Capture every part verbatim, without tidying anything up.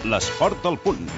l'esport al punt.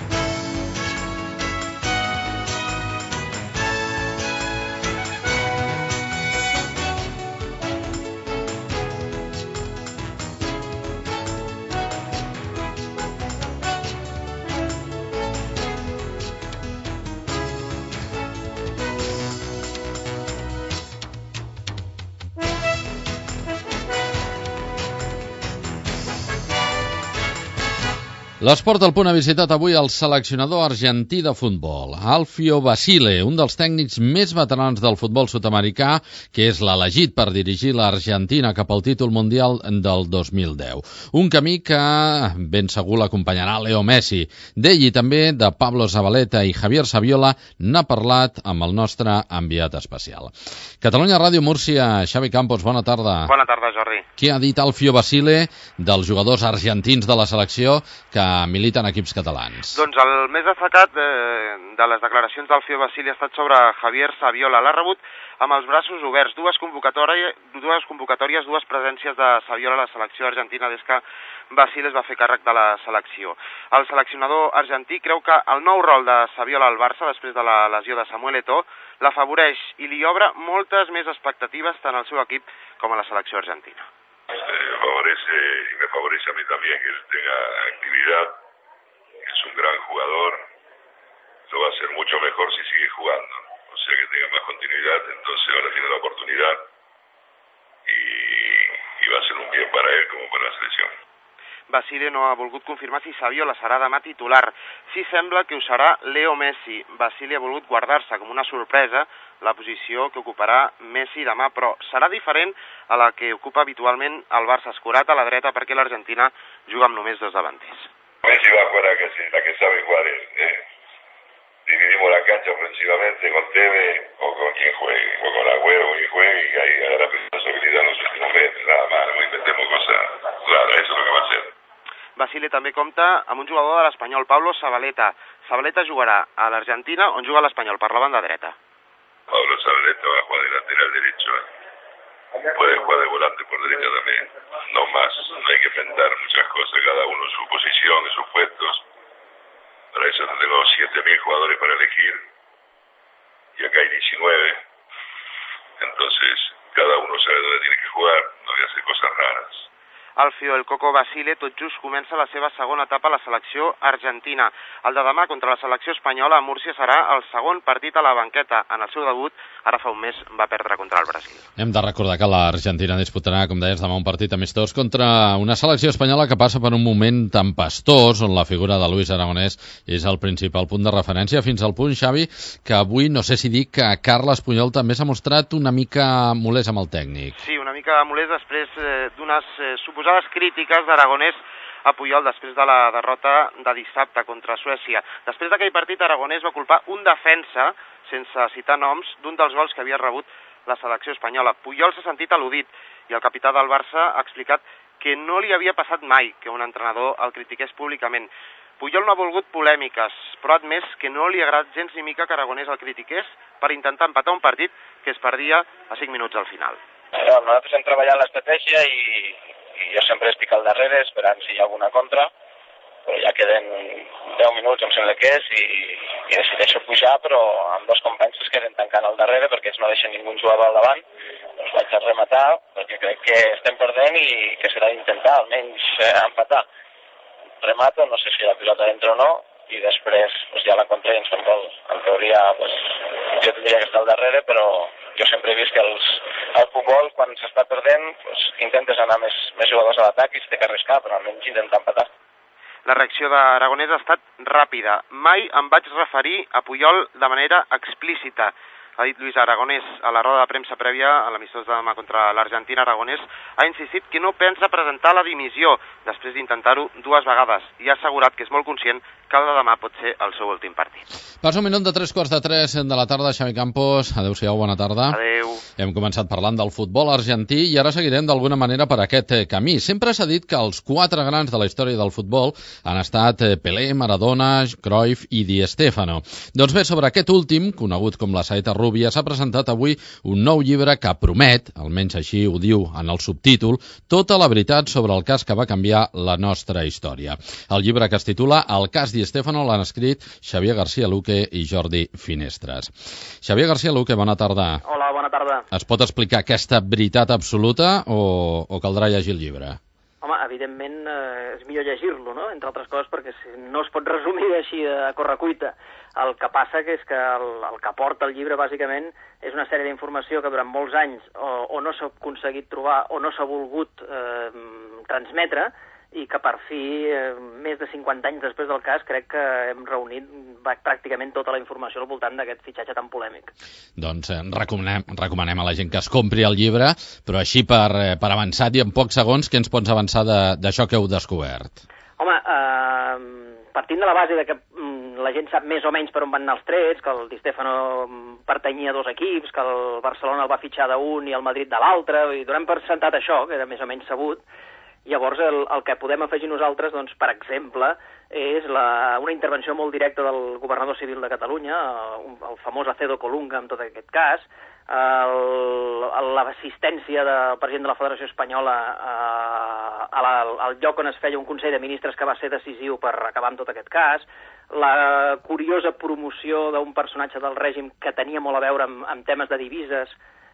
L'Esport al Punt ha visitat avui el seleccionador argentí de futbol, Alfio Basile, un dels tècnics més veterans del futbol sud-americà, que és l'elegit per dirigir l'Argentina cap al títol mundial del dos mil deu. Un camí que ben segur l'acompanyarà Leo Messi. D'ell i també de Pablo Zabaleta i Javier Saviola n'ha parlat amb el nostre enviat especial. Catalunya Ràdio Múrcia, Xavi Campos, bona tarda. Bona tarda, Jordi. Què ha dit Alfio Basile dels jugadors argentins de la selecció que militen equips catalans? Doncs el més destacat eh, de les declaracions d'Alfio Basile ha estat sobre Javier Saviola. L'ha rebut amb els braços oberts. Dues convocatòries, dues convocatòries, dues presències de Saviola a la selecció argentina des que Basile es va fer càrrec de la selecció. El seleccionador argentí creu que el nou rol de Saviola al Barça, després de la lesió de Samuel Eto'o, l'afavoreix i li obre moltes més expectatives tant al seu equip com a la selecció argentina. Eh, favorece y me favorece a mí también que él tenga actividad, es un gran jugador, lo va a hacer mucho mejor si sigue jugando, o sea que tenga más continuidad, entonces ahora tiene la oportunidad y, y va a ser un bien para él como para la selección. Basile no ha volgut confirmar si Saviola serà demà titular. Sí sembla que ho serà Leo Messi. Basile ha volgut guardar-se com una sorpresa la posició que ocuparà Messi demà, però serà diferent a la que ocupa habitualment el Barça, escurat a la dreta perquè l'Argentina juga amb només dos davanters. Messi va a jugar a que, la que sabe jugar él. Eh. Dividimos la cancha ofensivamente con Tevez o con quien juegue, o con Agüero o quien juegue, y ahí agarra responsabilidad en los últimos metros, nada más, no inventemos cosas raras, eso es lo que va a hacer. Basile també compta amb un jugador de l'Espanyol, Pablo Zabaleta. Zabaleta jugarà a l'Argentina, on juga l'Espanyol, per la banda dreta. Pablo Zabaleta va a jugar de lateral derecho. ¿eh? Puede jugar de volante por derecha también. No más, no hay que enfrentar muchas cosas, cada uno en su posición, en sus puestos. Para eso tengo siete mil jugadores para elegir. Y acá hay diecinueve. Entonces, cada uno sabe dónde tiene que jugar, no voy a hacer cosas raras. Alfio El Coco Basile tot just comença la seva segona etapa a la selecció argentina. El de demà contra la selecció espanyola a Múrcia serà el segon partit a la banqueta. En el seu debut, ara fa un mes, va perdre contra el Brasil. Hem de recordar que l'Argentina disputarà, com deies, demà un partit amistós contra una selecció espanyola que passa per un moment tempestós, on la figura de Luis Aragonès és el principal punt de referència, fins al punt, Xavi, que avui, no sé si dic que Carles Puyol també s'ha mostrat una mica molest amb el tècnic. Sí, una mica molest després eh, d'unes eh, suposades crítiques d'Aragonès a Puyol després de la derrota de dissabte contra Suècia. Després d'aquell partit, Aragonès va culpar un defensa, sense citar noms, d'un dels gols que havia rebut la selecció espanyola. Puyol s'ha sentit al·ludit i el capità del Barça ha explicat que no li havia passat mai que un entrenador el critiqués públicament. Puyol no ha volgut polèmiques, però ha admès que no li ha agradat gens ni mica que Aragonès el critiqués per intentar empatar un partit que es perdia a cinc minuts al final. Bueno, nosaltres hem treballat l'estratègia i, i jo sempre estic al darrere esperant si hi ha alguna contra, però ja queden deu minuts, em sembla que és, i, i decideixo pujar, però amb dos companys es queden tancant al darrere perquè ells no deixen ningú jugador al davant. Doncs vaig a rematar perquè crec que estem perdent i que serà d'intentar almenys eh, empatar. Remato, no sé si la pilota entra o no, i després pues, ja la contra i ens fem gol. En teoria pues, jo tindria que estar al darrere, però jo sempre he vist que els, el futbol, quan s'està perdent, pues, intentes anar més, més jugadors a l'atac i s'ha d'arriscar, però almenys intentar empatar. La reacció d'Aragonès ha estat ràpida. Mai em vaig referir a Puyol de manera explícita. Ha dit Luis Aragonès a la roda de premsa prèvia a l'amistós de demà contra l'Argentina. Aragonès ha insistit que no pensa presentar la dimissió després d'intentar-ho dues vegades i ha assegurat que és molt conscient que el de demà pot ser el seu últim partit. Passa un minut de tres quarts de tres de la tarda, Xavi Campos. Adéu-siau, bona tarda. Adéu. Hem començat parlant del futbol argentí i ara seguirem d'alguna manera per aquest camí. Sempre s'ha dit que els quatre grans de la història del futbol han estat Pelé, Maradona, Cruyff i Di Stéfano. Doncs bé, sobre aquest últim, conegut com la saeta rúbia, s'ha presentat avui un nou llibre que promet, almenys així ho diu en el subtítol, tota la veritat sobre el cas que va canviar la nostra història. El llibre que es titula El cas Di Stéfano l'han escrit Xavier García Luque i Jordi Finestres. Xavier García Luque, bona tarda. Hola, bona tarda. Es pot explicar aquesta veritat absoluta o, o caldrà llegir el llibre? Home, evidentment eh, és millor llegir-lo, no?, entre altres coses, perquè no es pot resumir així a correcuita. El que passa que és que el, el que porta el llibre, bàsicament, és una sèrie d'informació que durant molts anys o, o no s'ha aconseguit trobar o no s'ha volgut eh, transmetre, i que per fi, eh, més de cinquanta anys després del cas, crec que hem reunit pràcticament tota la informació al voltant d'aquest fitxatge tan polèmic. Doncs eh, recomanem, recomanem a la gent que es compri el llibre, però així per, eh, per avançat i en pocs segons, què ens pots avançar d'això que heu descobert? Home, eh, partint de la base de que mm, la gent sap més o menys per on van anar els trets, que el Di Stéfano pertanyia a dos equips, que el Barcelona el va fitxar d'un i el Madrid de l'altre, i donem per sentat això, que era més o menys sabut. Llavors, el, el que podem afegir nosaltres, doncs, per exemple, és la, una intervenció molt directa del governador civil de Catalunya, el, el famós Acedo Colunga, en tot aquest cas, l'assistència del president de la Federació Espanyola a, a la, al lloc on es feia un Consell de Ministres que va ser decisiu per acabar amb tot aquest cas, la curiosa promoció d'un personatge del règim que tenia molt a veure amb, amb temes de divises,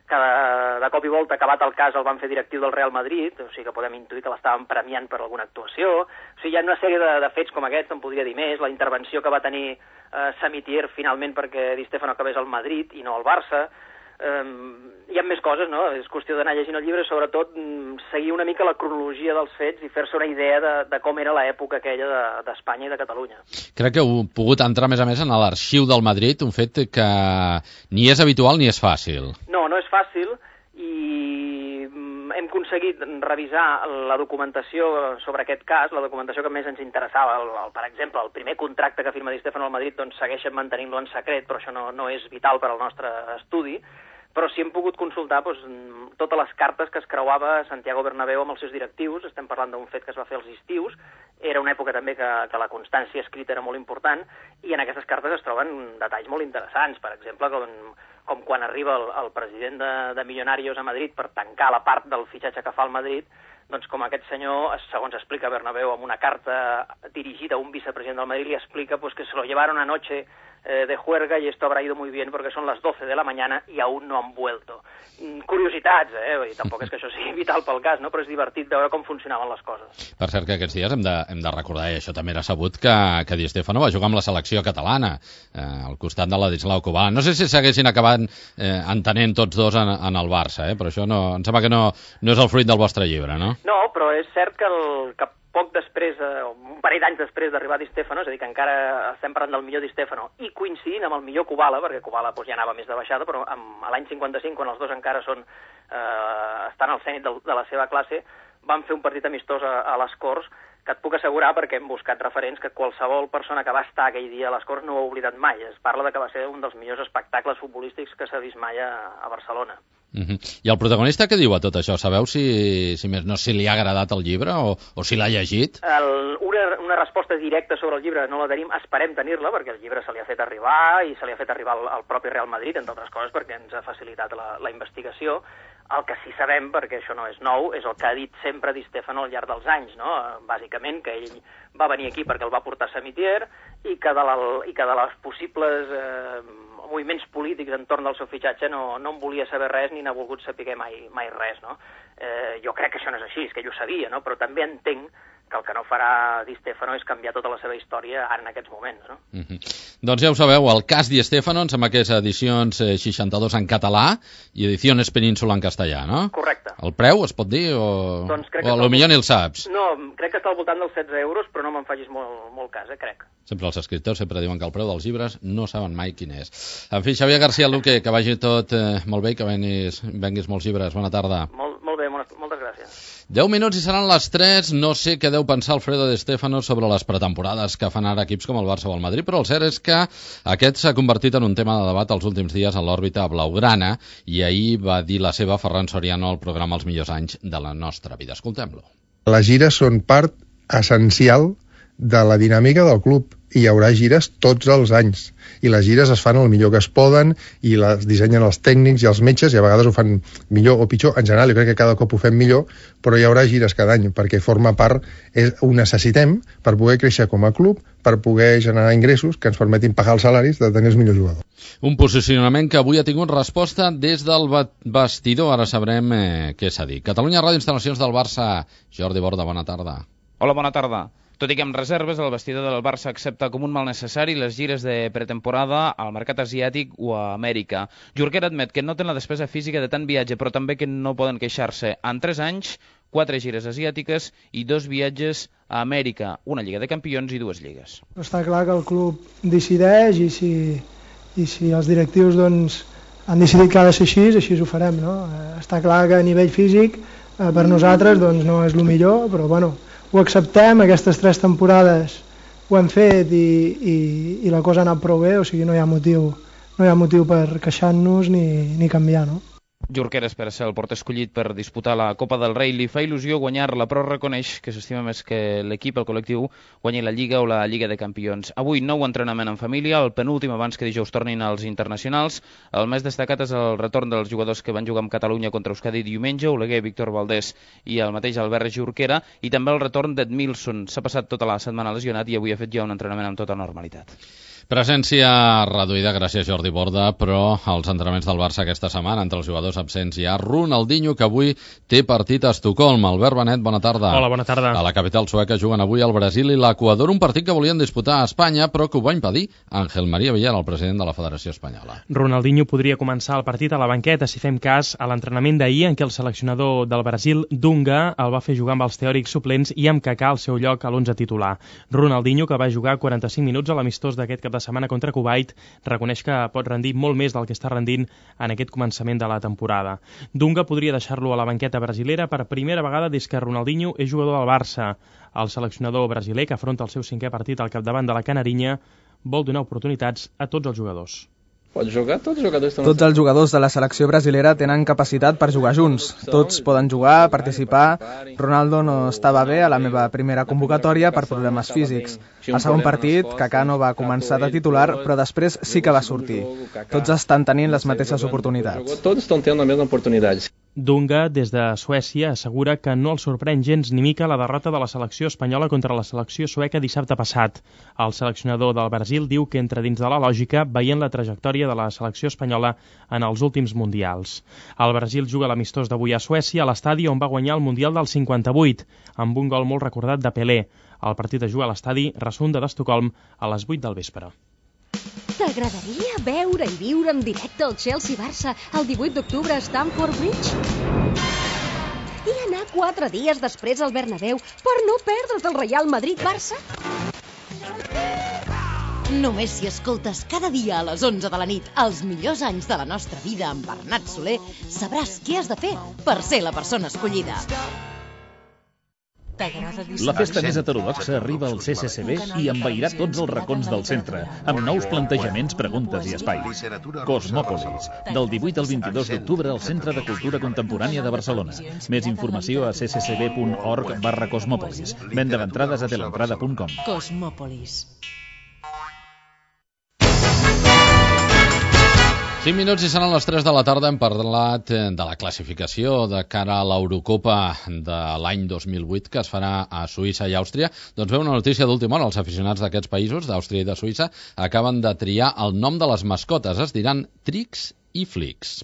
que de, de cop i volta, acabat el cas, el van fer directiu del Real Madrid, o sigui que podem intuir que l'estaven premiant per alguna actuació. O sigui, hi ha una sèrie de, de fets com aquests, en podria dir més, la intervenció que va tenir eh, Samitier finalment perquè Di Stéfano acabés al Madrid i no al Barça. Eh, hi ha més coses, no? És qüestió d'anar llegint el llibre, sobretot seguir una mica la cronologia dels fets i fer-se una idea de, de com era l'època aquella d'Espanya de, i de Catalunya. Crec que heu pogut entrar més a més en l'arxiu del Madrid, un fet que ni és habitual ni és fàcil. No, no és fàcil, i hem aconseguit revisar la documentació sobre aquest cas, la documentació que més ens interessava. El, el, per exemple, el primer contracte que firma Di Stéfano al Madrid, doncs segueixen mantenint-lo en secret, però això no, no és vital per al nostre estudi, però sí hem pogut consultar doncs, totes les cartes que es creuava Santiago Bernabéu amb els seus directius. Estem parlant d'un fet que es va fer als estius, era una època també que, que la constància escrita era molt important, i en aquestes cartes es troben detalls molt interessants, per exemple, com, com quan arriba el, el president de, de Millonarios a Madrid per tancar la part del fitxatge que fa el Madrid, doncs com aquest senyor, segons explica Bernabéu, amb una carta dirigida a un vicepresident del Madrid, li explica pues, que se lo llevaron anoche eh, de juerga y esto habrá ido muy bien porque son las doce de la mañana y aún no han vuelto. Mm, curiositats, eh? I tampoc és que això sigui vital pel cas, no? Però és divertit veure com funcionaven les coses. Per cert, que aquests dies hem de, hem de recordar, i això també era sabut, que, que Di Stéfano va jugar amb la selecció catalana, eh, al costat de Ladislau Kubala. No sé si s'haguessin acabat eh, entenent tots dos en, en el Barça, eh? Però això no, em sembla que no, no és el fruit del vostre llibre, no? No, però és cert que, el, que poc després, eh, un parell d'anys després d'arribar Di Stéfano, és a dir, que encara estem parlant del millor Di Stéfano, i coincidint amb el millor Kubala, perquè Kubala doncs, ja anava més de baixada, però amb, a l'any cinquanta-cinc, quan els dos encara són, eh, estan al zenit de, de la seva classe, van fer un partit amistós a, a les Corts, que et puc assegurar, perquè hem buscat referents, que qualsevol persona que va estar aquell dia a les Corts no ho ha oblidat mai. Es parla de que va ser un dels millors espectacles futbolístics que s'ha vist mai a, a Barcelona. Uh-huh. I el protagonista què diu a tot això? Sabeu si, si més no si li ha agradat el llibre o, o si l'ha llegit? El, una, una resposta directa sobre el llibre no la tenim, esperem tenir-la, perquè el llibre se li ha fet arribar i se li ha fet arribar al, al propi Real Madrid, entre altres coses, perquè ens ha facilitat la, la investigació. El que sí sabem, perquè això no és nou, és el que ha dit sempre Di Stéfano al llarg dels anys, no? Bàsicament que ell va venir aquí perquè el va portar Samitier i que de, la, i que de les possibles eh, moviments polítics entorn del seu fitxatge no, no en volia saber res ni n'ha volgut saber mai, mai res, no? Eh, jo crec que això no és així, és que ell ho sabia, no? Però també entenc que el que no farà Di Stéfano és canviar tota la seva història ara en aquests moments, no? Uh-huh. Doncs ja ho sabeu, el cas Di Stéfano, em sembla que és edicions eh, seixanta-dos en català i edicions Península en castellà, no? Correcte. El preu es pot dir o, doncs crec o a lo millor ni el saps? No, crec que està al voltant dels setze euros, però no me'n facis molt, molt cas, eh, crec. Sempre els escriptors sempre diuen que el preu dels llibres no saben mai quin és. En fi, Xavier García Luque, que vagi tot eh, molt bé i que venguis, venguis molts llibres. Bona tarda. Molt, molt bé, moltes gràcies. deu minuts i seran les tres. No sé què deu pensar Alfredo De Stéfano sobre les pretemporades que fan ara equips com el Barça o el Madrid, però el cert és que aquest s'ha convertit en un tema de debat els últims dies en l'òrbita blaugrana, i ahir va dir la seva Ferran Soriano al programa Els millors anys de la nostra vida. Escoltem-lo. Les gires són part essencial de la dinàmica del club, i hi haurà gires tots els anys, i les gires es fan el millor que es poden i les dissenyen els tècnics i els metges, i a vegades ho fan millor o pitjor. En general jo crec que cada cop ho fem millor, però hi haurà gires cada any perquè forma part, és, ho necessitem per poder créixer com a club, per poder generar ingressos que ens permetin pagar els salaris de tenir els millors jugadors. Un posicionament que avui ha tingut resposta des del vestidor. Ara sabrem eh, què s'ha dit. Catalunya Ràdio, instal·lacions del Barça. Jordi Borda, bona tarda. Hola, bona tarda. Tot i que amb reserves, el vestidor del Barça accepta com un mal necessari les gires de pretemporada al mercat asiàtic o a Amèrica. Jorquera admet que noten la despesa física de tant viatge, però també que no poden queixar-se. En tres anys, quatre gires asiàtiques i dos viatges a Amèrica, una Lliga de Campions i dues lligues. Està clar que el club decideix, i si, i si els directius doncs, han decidit que ha de ser així, així ho farem. No? Està clar que a nivell físic per nosaltres doncs, no és el millor, però bueno, ho acceptem. Aquestes tres temporades ho hem fet i, i, i la cosa ha anat prou bé, o sigui, no hi ha motiu, no hi ha motiu per queixar-nos ni, ni canviar, no? Jorquera espera ser el porter escollit per disputar la Copa del Rei. Li fa il·lusió guanyar-la, però reconeix que s'estima més que l'equip, el col·lectiu, guanyi la Lliga o la Lliga de Campions. Avui nou entrenament en família, el penúltim abans que dijous tornin als internacionals. El més destacat és el retorn dels jugadors que van jugar amb Catalunya contra Euskadi diumenge, Oleguer, Víctor Valdés i el mateix Albert Jorquera, i també el retorn d'Edmilson. S'ha passat tota la setmana lesionat i avui ha fet ja un entrenament amb tota normalitat. Presència reduïda, gràcies Jordi Borda, però als entrenaments del Barça aquesta setmana, entre els jugadors absents hi ha Ronaldinho, que avui té partit a Estocolm. Albert Benet, bona tarda. Hola, bona tarda. A la capital sueca juguen avui el Brasil i l'Equador, un partit que volien disputar a Espanya, però que ho va impedir Ángel María Villar, el president de la Federació Espanyola. Ronaldinho podria començar el partit a la banqueta, si fem cas a l'entrenament d'ahir, en què el seleccionador del Brasil, Dunga, el va fer jugar amb els teòrics suplents i amb Kaká al seu lloc a l'onze titular. Ronaldinho, que va jugar quaranta-cinc minuts a l'amistós d'aquest cap de setmana contra Kuwait, reconeix que pot rendir molt més del que està rendint en aquest començament de la temporada. Dunga podria deixar-lo a la banqueta brasilera per primera vegada des que Ronaldinho és jugador del Barça. El seleccionador brasiler, que afronta el seu cinquè partit al capdavant de la Canarinya, vol donar oportunitats a tots els jugadors. Pot jugar, tots els jugadors Tots els jugadors de la selecció brasilera tenen capacitat per jugar junts. Tots poden jugar, participar. Ronaldo no estava bé a la meva primera convocatòria per problemes físics. Al segon partit, Kaká no va començar de titular, però després sí que va sortir. Tots estan tenint les mateixes oportunitats. Tots estan tenint la mateixa oportunitat. Dunga, des de Suècia, assegura que no el sorprèn gens ni mica la derrota de la selecció espanyola contra la selecció sueca dissabte passat. El seleccionador del Brasil diu que entra dins de la lògica veient la trajectòria de la selecció espanyola en els últims mundials. El Brasil juga l'amistós d'avui a Suècia, a l'estadi on va guanyar el Mundial del cinquanta-vuit, amb un gol molt recordat de Pelé. El partit es juga a l'estadi Rasunda d'Estocolm a les vuit del vespre. T'agradaria veure i viure en directe el Chelsea-Barça el divuit d'octubre a Stamford Bridge? I anar quatre dies després al Bernabéu per no perdre't el Real Madrid-Barça? Només si escoltes cada dia a les onze de la nit els millors anys de la nostra vida amb Bernat Soler, sabràs què has de fer per ser la persona escollida. La festa més heterodoxa arriba al C C C B i envairà tots els racons del centre, amb nous plantejaments, preguntes i espais. Cosmòpolis, del divuit al vint-i-dos d'octubre al Centre de Cultura Contemporània de Barcelona. Més informació a c c c b punt org barra cosmòpolis. Venda d'entrades a telentrada punt com. Cosmòpolis. cinc minuts i seran les tres de la tarda. Hem parlat de la classificació de cara a l'Eurocopa de l'any dos mil vuit que es farà a Suïssa i Àustria. Doncs ve una notícia d'última hora. Els aficionats d'aquests països, d'Àustria i de Suïssa, acaben de triar el nom de les mascotes. Es diran Trix i Flix.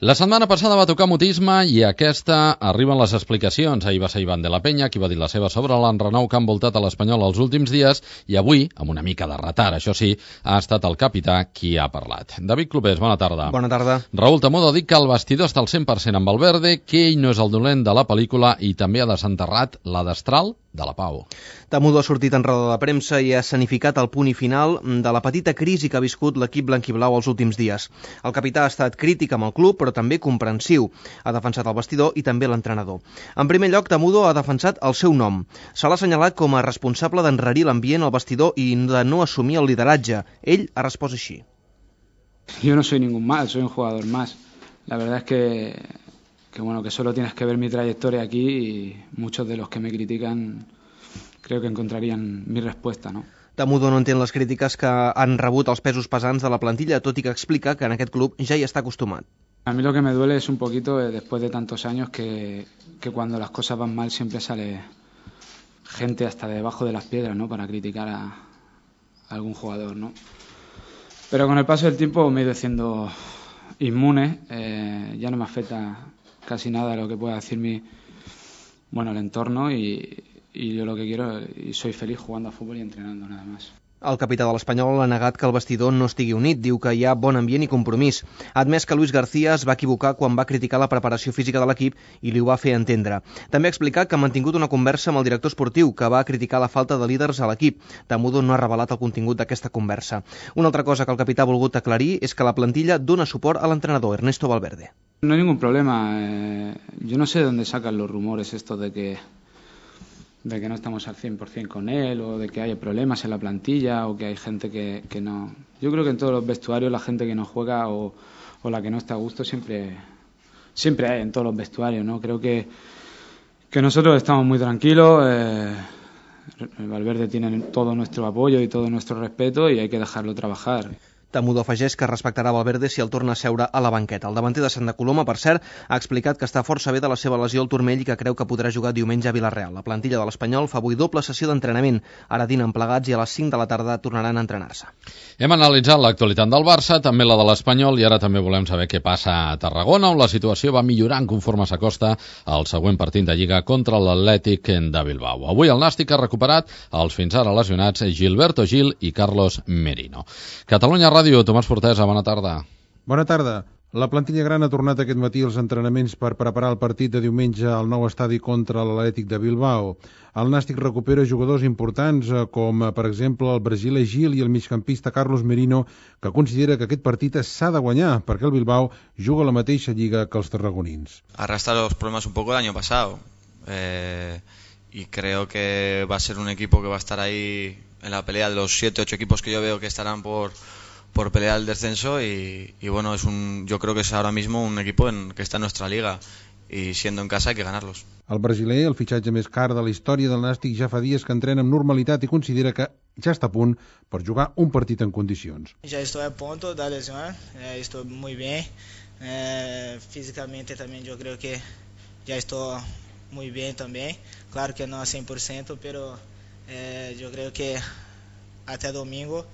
La setmana passada va tocar mutisme i aquesta arriben les explicacions. Ahir va ser Ivan de la Peña qui va dir la seva sobre l'enrenou que ha envoltat a l'Espanyol els últims dies i avui, amb una mica de retard, això sí, ha estat el capità qui ha parlat. David Clopés, bona tarda. Bona tarda. Raúl Tamudo ha dit que el vestidor està al cent per cent amb Valverde, que ell no és el dolent de la pel·lícula i també ha desenterrat la destral de la Pau. Tamudo ha sortit en roda de premsa i ha escenificat el punt i final de la petita crisi que ha viscut l'equip blanquiblau els últims dies. El capità ha estat crític amb el club, però també comprensiu. Ha defensat el vestidor i també l'entrenador. En primer lloc, Tamudo ha defensat el seu nom. Se l'ha assenyalat com a responsable d'enrarir l'ambient al vestidor i de no assumir el lideratge. Ell ha respost així. Yo no soy ningún mal, soy un jugador más. La verdad es que, que, bueno, que solo tienes que ver mi trayectoria aquí y muchos de los que me critican creo que encontrarían mi respuesta, ¿no? Tamudo no entén les crítiques que han rebut els pesos pesants de la plantilla, tot i que explica que en aquest club ja hi està acostumat. A mí lo que me duele es un poquito, eh, después de tantos años, que, que cuando las cosas van mal siempre sale gente hasta debajo de las piedras, ¿no?, para criticar a, a algún jugador, ¿no? Pero con el paso del tiempo me he ido siendo inmune, eh, ya no me afecta casi nada de lo que pueda decir mi, bueno, el entorno y, y yo lo que quiero, y soy feliz jugando a fútbol y entrenando nada más. El capità de l'Espanyol ha negat que el vestidor no estigui unit, diu que hi ha bon ambient i compromís. Ha admès que Luis García es va equivocar quan va criticar la preparació física de l'equip i li ho va fer entendre. També ha explicat que ha mantingut una conversa amb el director esportiu, que va criticar la falta de líders a l'equip. Tamudo no ha revelat el contingut d'aquesta conversa. Una altra cosa que el capità ha volgut aclarir és que la plantilla dona suport a l'entrenador Ernesto Valverde. No hay ningún problema. Eh, yo no sé de dónde sacan los rumores estos de que de que no estamos al cien por cien con él, o de que hay problemas en la plantilla, o que hay gente que, que no... Yo creo que en todos los vestuarios la gente que no juega o, o la que no está a gusto siempre, siempre hay en todos los vestuarios, ¿no? Creo que, que nosotros estamos muy tranquilos, eh, el Valverde tiene todo nuestro apoyo y todo nuestro respeto y hay que dejarlo trabajar. Tamudo afegeix que respectarà Valverde si el torna a seure a la banqueta. El davanter de Santa Coloma, per cert, ha explicat que està força bé de la seva lesió al turmell i que creu que podrà jugar diumenge a Vilareal. La plantilla de l'Espanyol fa avui doble sessió d'entrenament. Ara dinen plegats i a les cinc de la tarda tornaran a entrenar-se. Hem analitzat l'actualitat del Barça, també la de l'Espanyol, i ara també volem saber què passa a Tarragona, on la situació va millorant conforme s'acosta al següent partit de Lliga contra l'Atlètic de Bilbao. Avui el Nàstic ha recuperat els fins ara lesionats Gilberto Gil i Carlos Merino. Catalunya Ràdio, Tomàs Fortesa, bona tarda. Bona tarda. La plantilla gran ha tornat aquest matí als entrenaments per preparar el partit de diumenge al nou estadi contra l'Atlètic de Bilbao. El Nàstic recupera jugadors importants com, per exemple, el brasiler Gil i el migcampista Carlos Merino, que considera que aquest partit s'ha de guanyar perquè el Bilbao juga a la mateixa lliga que els tarragonins. Arrastra los problemas un poco del año pasado eh, y creo que va a ser un equipo que va a estar ahí en la pelea de los siete, ocho equipos que yo veo que estarán por... por pelear el descenso y, y bueno, es un, yo creo que es ahora mismo un equipo en, que está en nuestra liga y siendo en casa hay que ganarlos. El brasiler, el fitxatge més car de la història del Nàstic, ja fa dies que entrena amb normalitat i considera que ja està a punt per jugar un partit en condicions. Ja estou a punto da lesión, eh, estou muy bien, eh, físicamente también yo creo que ya estoy muy bien también, claro que no a cien por ciento, pero eh, yo creo que hasta domingo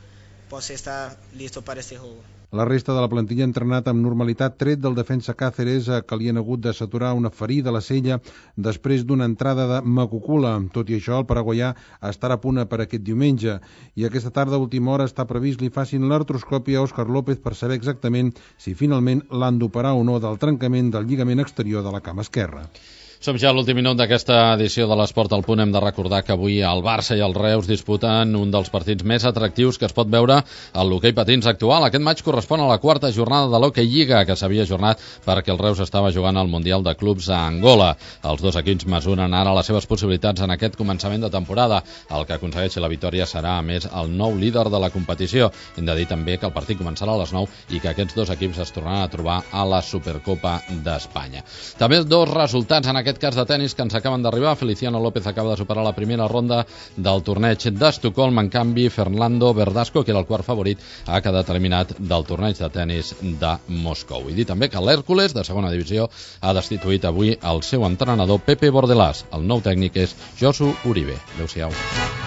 posso estar listo para este juego. La resta de la plantilla ha entrenat amb normalitat, tret del defensa Cáceres, que li han hagut de saturar una ferida a la cella després d'una entrada de Macucula. Tot i això, el paraguaià estarà a punt per aquest diumenge i aquesta tarda a última hora està previst li facin l'artroscòpia a Òscar López per saber exactament si finalment l'han d'operar o no del trencament del lligament exterior de la cama esquerra. Som ja a l'últim minut d'aquesta edició de l'Esport al Punt. Hem de recordar que avui el Barça i el Reus disputen un dels partits més atractius que es pot veure al l'hoquei patins actual. Aquest maig correspon a la quarta jornada de l'Hockey Lliga, que s'havia ajornat perquè el Reus estava jugant al Mundial de Clubs a Angola. Els dos equips mesuren ara les seves possibilitats en aquest començament de temporada. El que aconsegueixi la victòria serà, a més, el nou líder de la competició. Hem de dir també que el partit començarà a les nou i que aquests dos equips es tornaran a trobar a la Supercopa d'Espanya. També dos resultats en aquest aquest cas de tennis que ens acaben d'arribar. Feliciano López acaba de superar la primera ronda del torneig d'Estocolm. En canvi, Fernando Verdasco, que era el quart favorit, ha quedat eliminat del torneig de tennis de Moscou. I dir també que l'Hèrcules, de segona divisió, ha destituït avui el seu entrenador Pepe Bordelàs. El nou tècnic és Josu Uribe. Adéu-siau.